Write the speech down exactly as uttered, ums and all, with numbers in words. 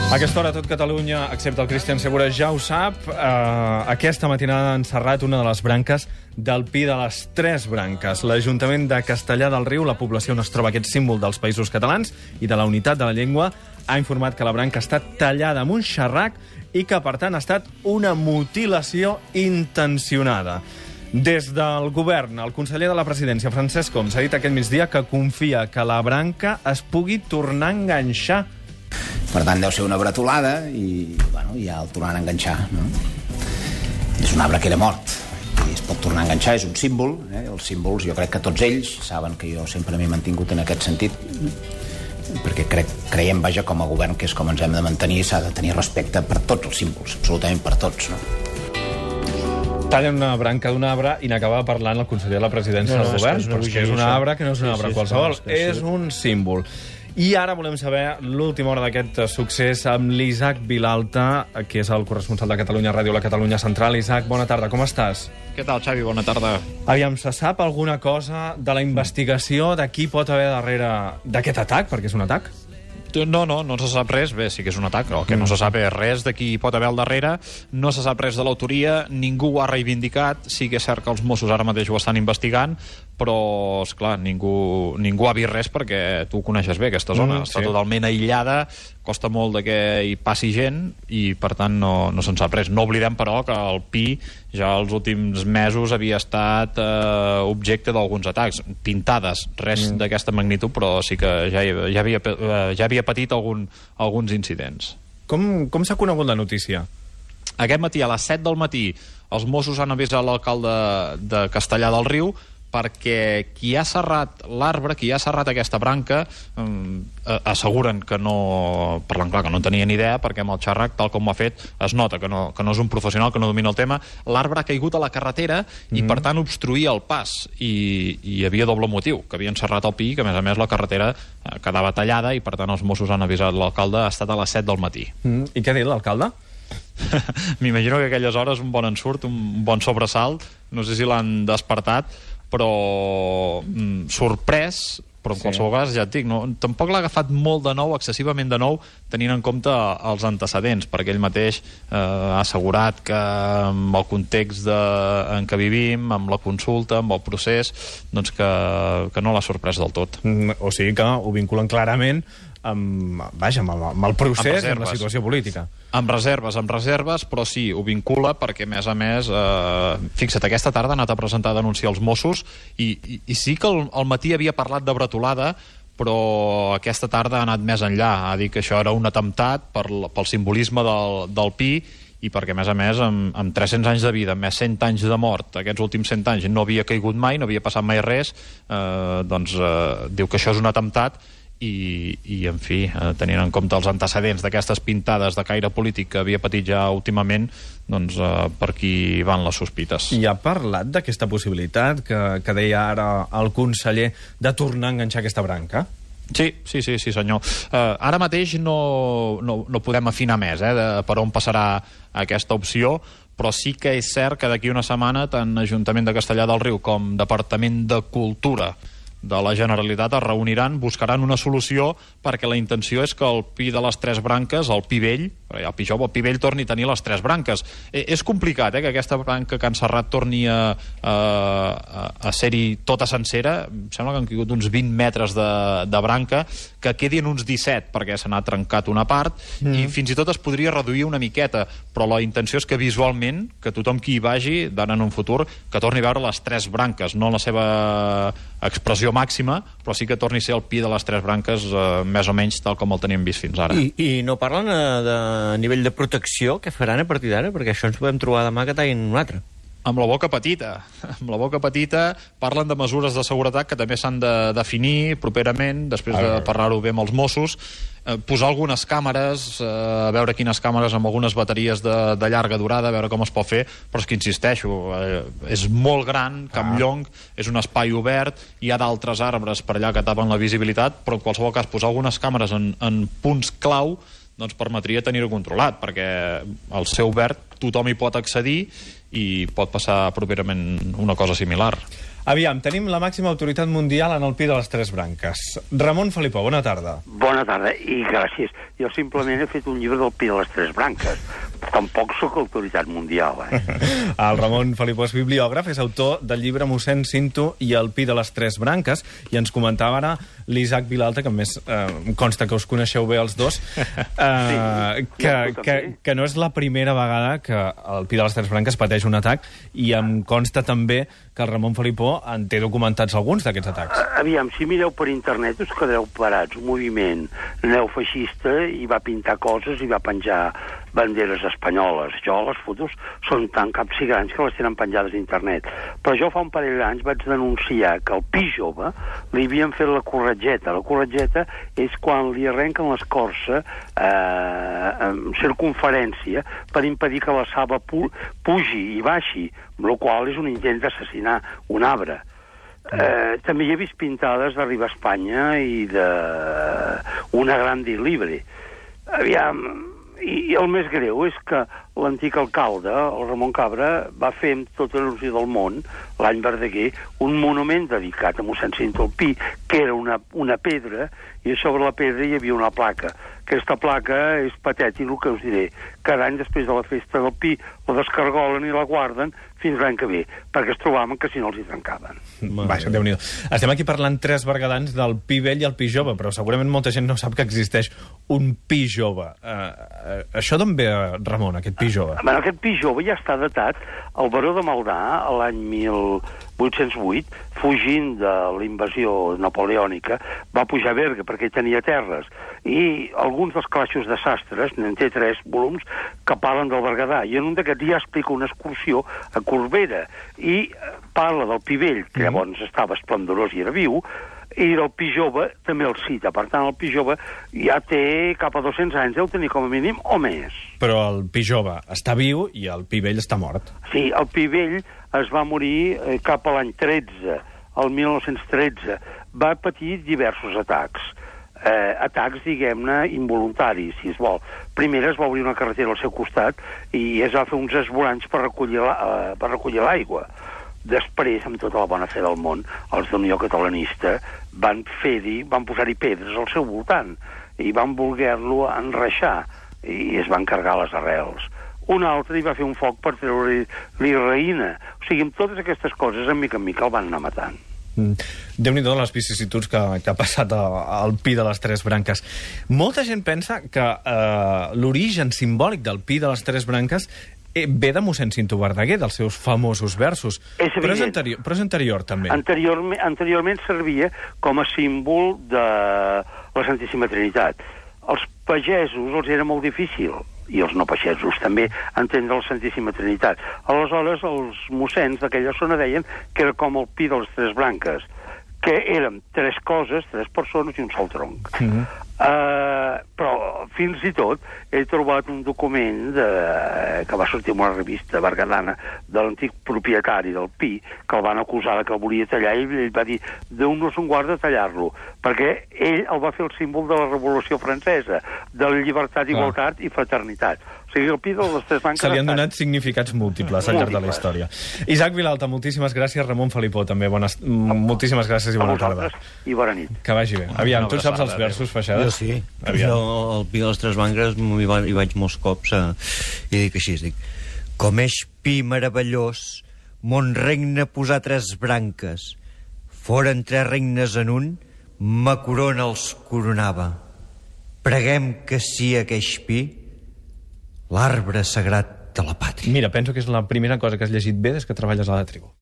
A aquesta hora tot Catalunya, excepte el Cristian Segura, ja ho sap. Uh, aquesta matinada han encerrat una de les branques del Pi de les Tres Branques. L'Ajuntament de Castellar del Riu, la població on es troba aquest símbol dels Països Catalans i de la unitat de la llengua, ha informat que la branca ha estat tallada amb un xerrac i que, per tant, ha estat una mutilació intencionada. Des del govern, el conseller de la presidència, Francesc Homs, ha dit aquest migdia que confia que la branca es pugui tornar a enganxar. Per tant, deu ser una bretolada i, bueno, ja el tornaran a enganxar, no? És un arbre que era mort i es pot tornar a enganxar, és un símbol, eh? Els símbols, jo crec que tots ells saben que jo sempre m'he mantingut en aquest sentit, perquè crec, creiem, vaja, com a govern, que és com ens hem de mantenir, s'ha de tenir respecte per tots els símbols, absolutament per tots, no? Tallen una branca d'un arbre i n'acaba parlant el conseller de la presidència no, no, del govern, és però és que és un arbre que no és un arbre sí, sí, qualsevol, és, que és un símbol. I ara volem saber l'última hora d'aquest succés amb l'Isaac Vilalta, que és el corresponsal de Catalunya Ràdio, la Catalunya Central. Isaac, bona tarda, com estàs? Què tal, Xavi? Bona tarda. Aviam, se sap alguna cosa de la investigació de qui pot haver darrere d'aquest atac, perquè és un atac? No, no, no se sap res. Bé, sí que és un atac, però el que no se sap és res de qui pot haver al darrere. No se sap res de l'autoria, ningú ho ha reivindicat. Sí que és cert que els Mossos ara mateix ho estan investigant, però, esclar, ningú, ningú ha vist res perquè tu coneixes bé aquesta zona. Mm, Està sí. totalment aïllada, costa molt de que hi passi gent i, per tant, no, no se'n sap res. No oblidem, però, que el Pi ja els últims mesos havia estat eh, objecte d'alguns atacs. Pintades, res mm. d'aquesta magnitud, però sí que ja, ja, havia, ja havia patit algun, alguns incidents. Com, com s'ha conegut la notícia? Aquest matí, a les set del matí, els Mossos han avisat l'alcalde de Castellar del Riu perquè qui ha serrat l'arbre, qui ha serrat aquesta branca, eh, asseguren que no, parlant clar, que no tenien idea, perquè amb el xerrac, tal com ho ha fet, es nota que no, que no és un professional, que no domina el tema. L'arbre ha caigut a la carretera i, mm. per tant, obstruïa el pas. I, i hi havia doble motiu, que havien serrat el Pi, que, a més a més, la carretera eh, quedava tallada i, per tant, els Mossos han avisat l'alcalde. Ha estat a les set del matí. Mm. I què ha dit l'alcalde? M'imagino que a aquelles hores un bon ensurt, un bon sobresalt, no sé si l'han despertat, però mm, sorprès, però en sí. qualsevol cas, ja et dic, no, tampoc l'ha agafat molt de nou, excessivament de nou, tenint en compte els antecedents, perquè ell mateix eh, ha assegurat que amb el context de, en què vivim, amb la consulta, amb el procés, doncs que, que no l'ha sorprès del tot. Mm, o sigui que ho vinculen clarament amb, vaja, amb, el, amb el procés i amb la situació política. Amb reserves, amb reserves, però sí, ho vincula perquè, a més a més, eh, fixa't, aquesta tarda ha anat a presentar a denunciar els Mossos i, i, i sí que al, al matí havia parlat de bretolada, però aquesta tarda ha anat més enllà. Ha dit que això era un atemptat per, pel simbolisme del, del Pi i perquè, a més a més, amb, amb tres-cents anys de vida, més cent anys de mort, aquests últims cent anys no havia caigut mai, no havia passat mai res, eh, doncs eh, diu que això és un atemptat. I, i en fi, eh, tenint en compte els antecedents d'aquestes pintades de caire polític que havia patit ja últimament, doncs eh, per aquí van les sospites. I ha parlat d'aquesta possibilitat que, que deia ara el conseller de tornar a enganxar aquesta branca? Sí, sí, sí, sí senyor. Uh, ara mateix no, no, no podem afinar més eh, de per on passarà aquesta opció, però sí que és cert que d'aquí una setmana tant Ajuntament de Castellar del Riu com Departament de Cultura de la Generalitat es reuniran, buscaran una solució, perquè la intenció és que el Pi de les Tres Branques, el Pi vell, el Pi jove, el Pi vell torni a tenir les tres branques. Eh, és complicat, eh, que aquesta branca que han serrat torni a, a, a ser-hi tota sencera. Em sembla que han caigut uns vint metres de, de branca, que quedin uns disset, perquè se n'ha trencat una part, mm. i fins i tot es podria reduir una miqueta, però la intenció és que visualment, que tothom qui hi vagi, d'ara en un futur, que torni a veure les tres branques, no la seva expressió màxima, però sí que torni a ser el Pi de les Tres Branques eh, més o menys tal com el teníem vist fins ara. I, i no parlen eh, de nivell de protecció que faran a partir d'ara? Perquè això ens podem trobar demà que tallin un altre. Amb la boca petita. Amb la boca petita parlen de mesures de seguretat que també s'han de definir properament, després de parlar-ho bé amb els Mossos, eh, posar algunes càmeres, eh, a veure quines càmeres amb algunes bateries de, de llarga durada, a veure com es pot fer, però és que insisteixo, eh, és molt gran, Campllong, és un espai obert, hi ha d'altres arbres per allà que tapen la visibilitat, però en qualsevol cas posar algunes càmeres en, en punts clau doncs permetria tenir-ho controlat, perquè al ser obert tothom hi pot accedir i pot passar properament una cosa similar. Aviam, tenim la màxima autoritat mundial en el Pi de les Tres Branques. Ramon Felipó, bona tarda. Bona tarda, i gràcies. Jo simplement he fet un llibre del Pi de les Tres Branques. Tampoc sóc autoritat mundial, eh? El Ramon Felipó és bibliògraf, és autor del llibre Mossèn Cinto i el Pi de les Tres Branques, i ens comentava ara l'Isaac Vilalta, que a més eh, em consta que us coneixeu bé els dos, eh, sí, que, que, que no és la primera vegada que el Pi de les Tres Branques pateix un atac, i em consta també que el Ramon Felipó en té documentats alguns d'aquests atacs. Aviam, si mireu per internet us quedareu parats. Un moviment neofeixista i va pintar coses i va penjar banderes espanyoles. Jo les fotos són tan caps i grans que les tenen penjades a internet. Però jo fa un parell d'anys vaig denunciar que al Pi jove li havien fet la corretgeta. La corretgeta és quan li arrenquen l'escorça eh, en circunferència per impedir que la saba pu pugi i baixi, amb la qual és un intent d'assassinar un arbre. Eh, també hi he vist pintades d'Arriba a Espanya i de Una Grande Libre. Aviam, i el més greu és que l'antic alcalde, el Ramon Cabra, va fer amb tota l'il·lusió del món, l'any Verdaguer, un monument dedicat a mossèn Cinto al Pi, que era una, una pedra, i sobre la pedra hi havia una placa. Aquesta placa és patètic, el que us diré. Cada any després de la festa del Pi la descargolen i la guarden fins l'any que ve, perquè es trobaven que si no els hi trencaven. Vaja, Déu-n'hi-do. Estem aquí parlant tres bergadans del Pi vell i el Pi jove, però segurament molta gent no sap que existeix un Pi jove. Uh, uh, això d'on ve, Ramon, aquest Pi jove? Bueno, aquest Pi jove ja està datat. El baró de Maldà, l'any mil vuit-cents vuit, fugint de la invasió napoleònica, va pujar a Berga perquè tenia terres. I alguns dels calaixos de sastres, n'en té tres volums, que parlen del Berguedà. I en un d'aquests ja explica una excursió a Corbera. I parla del Pi vell, que llavors estava esplendorós i era viu, i del Pi jove també el cita. Per tant, el Pi jove ja té cap a dos-cents anys, deu tenir com a mínim o més. Però el Pi jove està viu i el Pi vell està mort. Sí, el Pi vell es va morir eh, cap a l'any tretze, el mil nou-cents tretze. Va patir diversos atacs. Eh, atacs, diguem-ne, involuntaris, si es vol. Primer es va obrir una carretera al seu costat i es va fer uns esvoranys per recollir la, eh, per recollir l'aigua. Després, amb tota la bona fe del món, els d'Unió Catalanista van fer-hi, van posar-hi pedres al seu voltant i van voler-lo enreixar i es van carregar les arrels. Un altre hi va fer un foc per treure-li raïna. O sigui, amb totes aquestes coses, en mica en mica el van anar matant. Mm. Déu-n'hi-do les vicissituds que, que ha passat al Pi de les Tres Branques. Molta gent pensa que eh, l'origen simbòlic del Pi de les Tres Branques eh, ve de mossèn Cinto Verdaguer, dels seus famosos versos. És però, és anterior, però és anterior, també. Anteriorment, anteriorment servia com a símbol de la Santíssima Trinitat. Els pagesos els era molt difícil, i els no pagesos també, entendre la Santíssima Trinitat. Aleshores, els mossens d'aquella zona deien que era com el Pi de les Tres Branques, que eren tres coses, tres persones i un sol tronc. Mm-hmm. Uh, però fins i tot he trobat un document de, que va sortir en una revista bergadana de l'antic propietari del Pi, que el van acusar que el volia tallar, i ell va dir: Déu no se'n guarda tallar-lo, perquè ell el va fer el símbol de la Revolució Francesa, de la llibertat, igualtat i fraternitat. O sigui, el Pi de les Tres Branques... Se li han donat significats múltiples al llarg de la història. Isaac Vilalta, moltíssimes gràcies. Ramon Felipó, també. Bones... Moltíssimes gràcies i bona tarda. I bona nit. Que vagi bé. Aviam, tu saps els versos, Feixada? Jo sí. Aviam. Jo, el Pi de les Tres Branques, hi, va, hi vaig molts cops eh, i dic així, dic: com és Pi meravellós, mon regne posar tres branques. Foren tres regnes en un, ma corona els coronava. Preguem que sí aqueix Pi, l'arbre sagrat de la pàtria. Mira, penso que és la primera cosa que has llegit bé des que treballes a la tribu.